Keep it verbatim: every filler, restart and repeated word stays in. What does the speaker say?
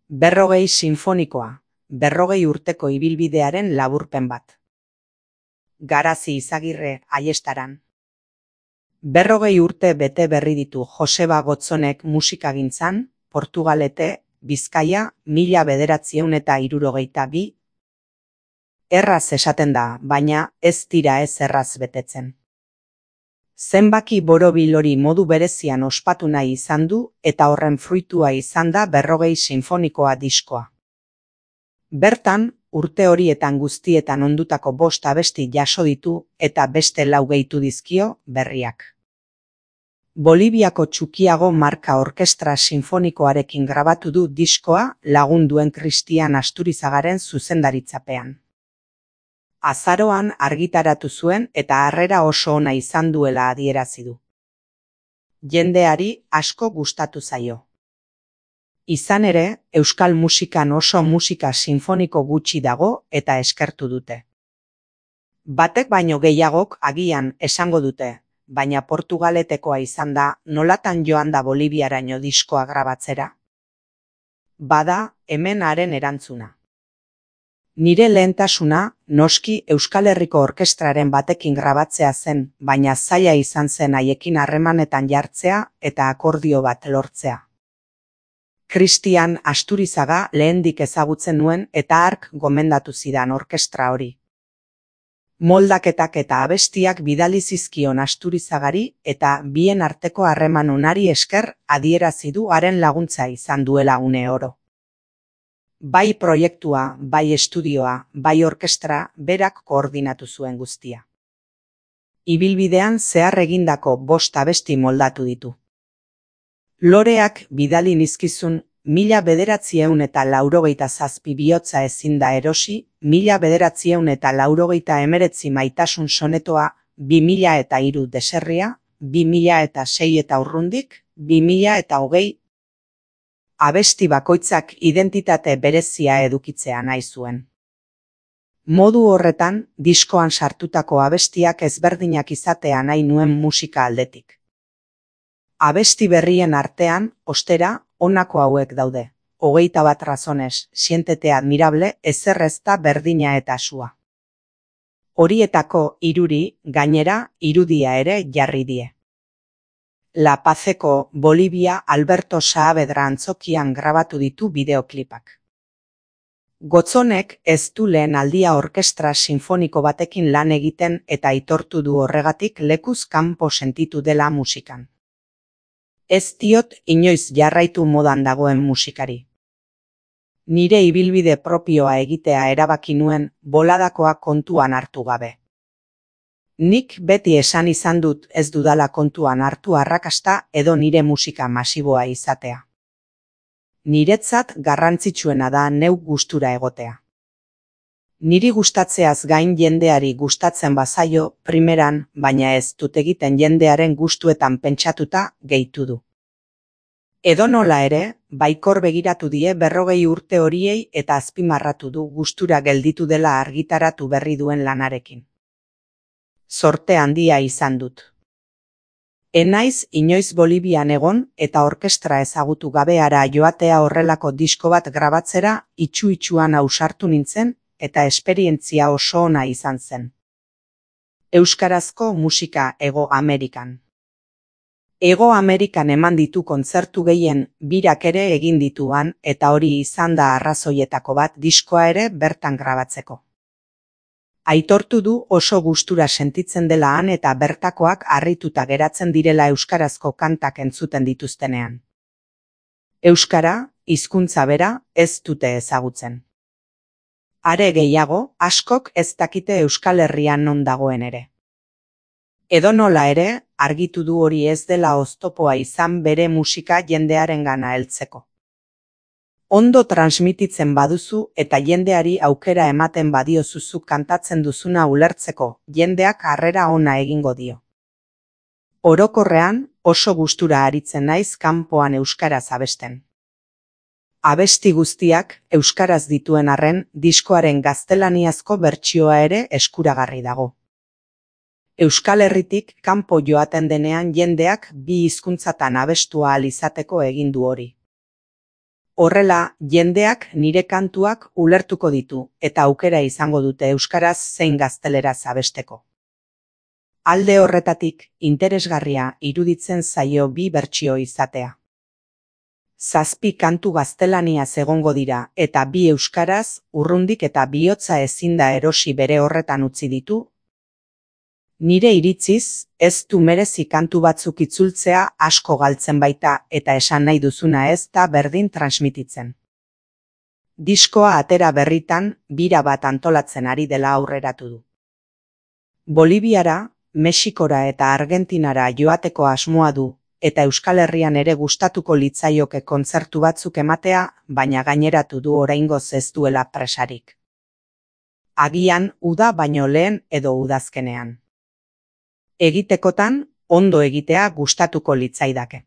Berrogei sinfonikoa, berrogei urteko ibilbidearen laburpen bat. Garazi Izagirre Aiestaran. Berrogei urte bete berri ditu Joseba Gotzonek musikagintzan, Portugalete, Bizkaia, mila bederatziehun eta hirurogeita bi. Erraz esaten da, baina ez dira ez erraz betetzen. Zenbaki borobil hori modu berezian ospatu nahi izan du eta horren fruitua izan da berrogei sinfonikoa diskoa. Bertan, urte horietan guztietan ondutako bost abesti jaso ditu eta beste lau gehitu dizkio berriak. Boliviako Txukiago marka orkestra sinfonikoarekin grabatu du diskoa lagunduen Kristian Asturizagaren zuzendaritzapean. Azaroan argitaratu zuen eta harrera oso ona izan duela adierazi du. Jendeari asko gustatu zaio. Izan ere, euskal musikan oso musika sinfoniko gutxi dago eta eskertu dute. Batek baino gehiagok agian esango dute, baina Portugaletekoa izan da nolatan joan da Boliviaraino diskoa grabatzera. Bada, hemen haren erantzuna. Nire lehentasuna, noski Euskal Herriko orkestraren batekin grabatzea zen, baina zaila izan zen haiekin harremanetan jartzea eta akordio bat lortzea. Kristian Asturizaga lehendik ezagutzen nuen eta hark gomendatu zidan orkestra hori. Moldaketak eta abestiak bidali zizkion Asturizagari eta bien arteko harreman onari esker adierazi du haren laguntza izan duela une oro. Bai proiektua, bai estudioa, bai orkestra berak koordinatu zuen guztia. Ibilbidean zehar egindako bost abesti moldatu ditu. Loreak bidali nizkizun mila bederatziehun eta laurogeita zazpi bihotza ezin da erosi, mila bederatziehun eta laurogeita hemeretzi maitasun sonetoa, bi mila eta hiru deserria, bi mila eta sei eta urrundik, bi mila eta hogei. Abesti bakoitzak identitate berezia edukitzea nahi zuen. Modu horretan, diskoan sartutako abestiak ezberdinak izatea nahi nuen musika aldetik. Abesti berrien artean, ostera, honako hauek daude. Hogeita bat razones, siéntete admirable, ezer ez da berdina eta sua. Horietako hiruri, gainera, irudia ere jarri die. La Pazeko Bolivia Alberto Saavedra antzokian grabatu ditu bideoklipak. Gotzonek ez du lehen aldia orkestra sinfoniko batekin lan egiten eta aitortu du horregatik lekuz kanpo sentitu dela musikan. Ez diot inoiz jarraitu modan dagoen musikari. Nire ibilbide propioa egitea erabaki nuen boladakoa kontuan hartu gabe. Nik beti esan izan dut ez dudala kontuan hartu arrakasta edo nire musika masiboa izatea. Niretzat garrantzitsuena da neuk gustura egotea. Niri gustatzeaz gain jendeari gustatzen bazaio primeran, baina ez dut egiten jendearen gustuetan pentsatuta gehitu du. Edonola ere, baikor begiratu die berrogei urte horiei eta azpimarratu du gustura gelditu dela argitaratu berri duen lanarekin. Zorte handia izan dut. Enaiz inoiz Bolivian egon eta orkestra ezagutu gabeara joatea horrelako disko bat grabatzera itxu-itxuan ausartu nintzen eta esperientzia oso ona izan zen. Euskarazko musika Hego Amerikan. Hego Amerikan eman ditu kontzertu gehien birak ere egin dituan eta hori izan da arrazoietako bat diskoa ere bertan grabatzeko. Aitortu du oso gustura sentitzen dela han eta bertakoak harrituta geratzen direla euskarazko kantak entzuten dituztenean. Euskara, hizkuntza bera, ez dute ezagutzen. Are gehiago, askok ez dakite Euskal Herrian non dagoen ere. Edonola ere, argitu du hori ez dela oztopoa izan bere musika jendearengana heltzeko. Ondo transmititzen baduzu eta jendeari aukera ematen badiozuzu kantatzen duzuna ulertzeko, jendeak harrera ona egingo dio. Orokorrean, oso gustura aritzen naiz kanpoan euskaraz abesten. Abesti guztiak euskaraz dituen arren, diskoaren gaztelaniazko bertsioa ere eskuragarri dago. Euskal Herritik kanpo joaten denean jendeak bi hizkuntzatan abestu ahal izateko egin du hori. Horrela, jendeak nire kantuak ulertuko ditu eta aukera izango dute euskaraz zein gazteleraz abesteko. Alde horretatik, interesgarria iruditzen zaio bi bertsio izatea. Zazpi kantu gaztelaniaz egongo dira eta bi euskaraz, urrundik eta bihotza ezin da erosi bere horretan utzi ditu. Nire iritziz, ez du merezi kantu batzuk itzultzea asko galtzen baita eta esan nahi duzuna ez da berdin transmititzen. Diskoa atera berritan, bira bat antolatzen ari dela aurreratu du. Boliviara, Mexikora eta Argentinara joateko asmoa du, eta Euskal Herrian ere gustatuko litzaioke kontzertu batzuk ematea, baina gaineratu du oraingoz ez duela presarik. Agian, uda baino lehen edo udazkenean. Egitekotan, ondo egitea gustatuko litzaidake.